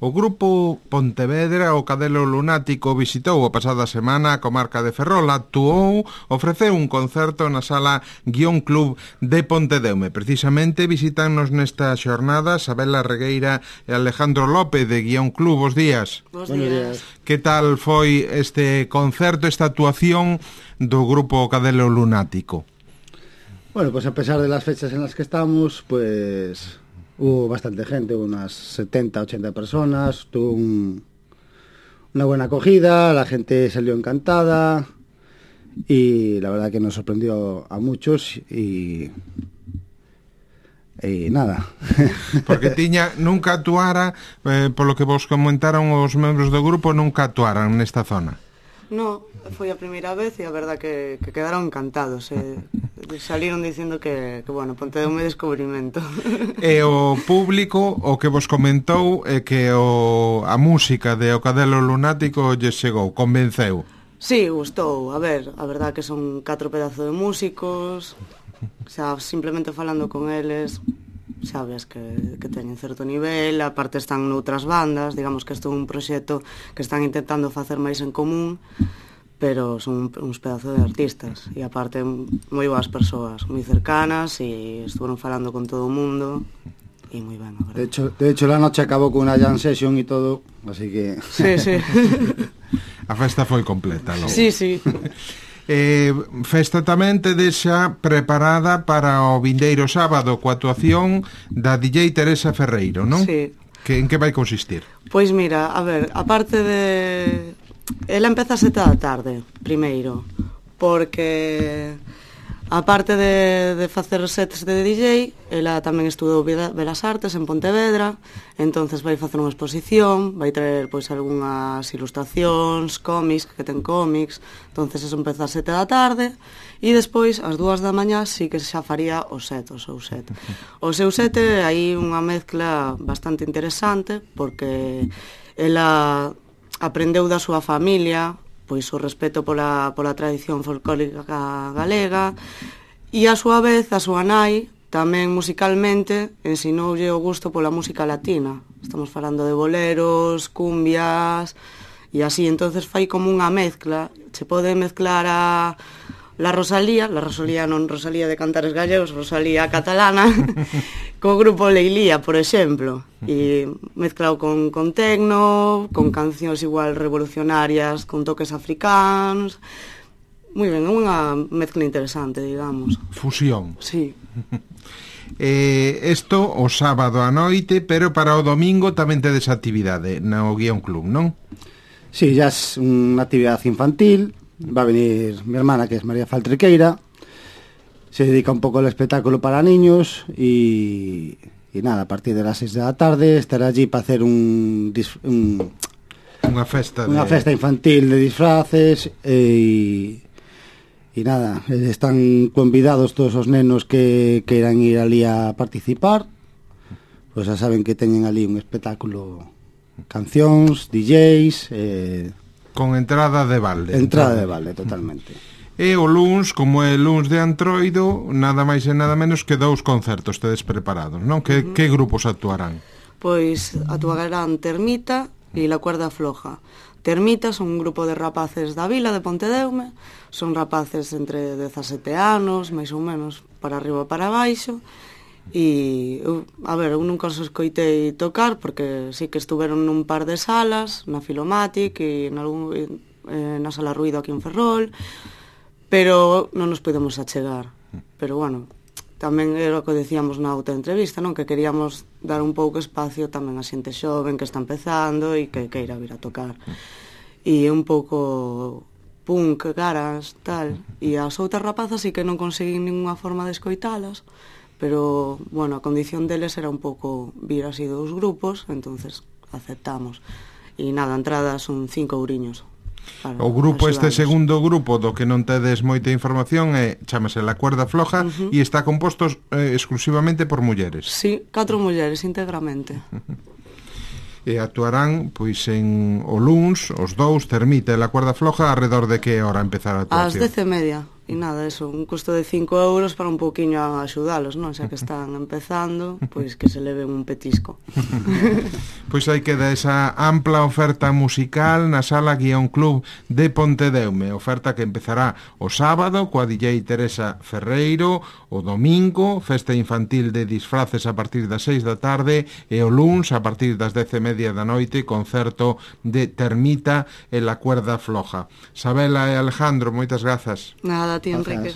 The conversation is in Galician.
O grupo Pontevedra, o Cadelo Lunático, visitou a pasada semana a comarca de Ferrol, actuou, ofreceu un concerto na sala Guión Club de Pontedeume. Precisamente visitannos nesta xornada Sabela Regueira e Alejandro López de Guión Club. Bos días. Bos días. Que tal foi este concerto, esta actuación do grupo Cadelo Lunático? Bueno, pues a pesar de las fechas en las que estamos, pues hubo bastante gente, unas 70, 80 personas, tuvo una buena acogida, la gente salió encantada y la verdad que nos sorprendió a muchos y nada. Porque nunca actuara, polo que vos comentaron os membros do grupo, nunca actuaran nesta zona. No, foi a primeira vez e a verdad que quedaron encantados. Salieron dicindo que bueno, Pontedeume descubrimento. E o público o que vos comentou é que a música de O Cadelo Lunático lle chegou, convenceu. Sí, gustou. A ver, a verdad que son 4 pedazos de músicos. O sea, simplemente falando con eles, sabes que teñen certo nivel, aparte están noutras bandas, digamos que isto é un proxecto que están intentando facer máis en común, pero son uns pedazos de artistas e aparte moi boas persoas, moi cercanas e estuveron falando con todo o mundo e moi ben, a verdad. De hecho la noche acabou con unha jam session e todo, así que sí. A festa foi completa, logo. Sí. Festa tamén tedes xa preparada para o vindeiro sábado coa actuación da DJ Teresa Ferreiro, non? Sí. En que vai consistir? Pois mira, a ver, aparte de... Ela empeza a 7 da tarde, primeiro, porque aparte de facer sets de DJ, ela tamén estudou Belas Artes en Pontevedra, entonces vai facer unha exposición, vai traer pois algunhas ilustracións, cómics, que ten cómics, entonces eso empeza a 7 da tarde, e despois, ás 2 da mañá, sí que xa faría o seu set. O seu set é aí unha mezcla bastante interesante, porque ela aprendeu da súa familia, pois o respeto pola tradición folclórica galega e a súa vez a súa nai tamén musicalmente ensinoulle o gusto pola música latina. Estamos falando de boleros, cumbias e así, entonces fai como unha mezcla. Se pode mezclar la Rosalía non Rosalía de Cantares Gallegos, Rosalía catalana, co grupo Leilía, por exemplo, e mezclado con tecno, con cancións igual revolucionarias, con toques africanos. Moi ben, é unha mezcla interesante, digamos. Fusión. Sí. Isto o sábado a noite, pero para o domingo tamén tedes actividade no Guión Club, non? Sí, ya es unha actividade infantil. Va a venir mi hermana, que es María Faltriqueira, se dedica un poco al espectáculo para niños y nada, a partir de las 6 de la tarde estará allí para hacer una festa infantil de disfraces y nada, están convidados todos os nenos que queiran ir allí a participar, pues ya saben que teñen allí un espectáculo, cancións, DJs, con entrada de balde. Entrada de balde, totalmente. E o luns, como é luns de Antroido, nada máis e nada menos que 2 concertos tedes preparados, non? Que grupos actuarán? Pois actuarán Termita e La Cuerda Floja. Termita son un grupo de rapaces da vila de Pontedeume, son rapaces entre 17 anos, máis ou menos, para arriba e para baixo, e a ver, eu nunca os escoitei tocar porque sí que estuveron nun par de salas na Filomatic e na Sala Ruido aquí en Ferrol, pero non nos podemos achegar. Pero bueno, tamén era o que decíamos na outra entrevista, non? Que queríamos dar un pouco espacio tamén a xente xoven que está empezando e que queira vir a tocar, e un pouco punk, caras, tal, e as outras rapazas sí que non conseguín ninguna forma de escoitalas, pero, bueno, a condición deles era un pouco vir así 2 grupos, entonces aceptamos. E nada, a entrada son 5 euriños. O grupo, este segundo grupo do que non tedes moita información, chámase La Cuerda Floja e está composto exclusivamente por mulleres. Sí, 4 mulleres íntegramente. E actuarán, pois, en o luns, os 2, Termita e La Cuerda Floja, arredor de que hora empezar a actuación? Ás 10:30. E nada, eso, un custo de 5 euros para un pouquiño a axudalos, non? Xa que están empezando, pois que se leven un petisco. Pois aí queda esa ampla oferta musical na Sala Guión Club de Pontedeume, oferta que empezará o sábado coa DJ Teresa Ferreiro, o domingo, festa infantil de disfraces a partir das 6 da tarde e o luns a partir das 10:30 da noite, concerto de Termita e la cuerda floja. Sabela e Alejandro, moitas grazas. Nada, a ti, Enrique.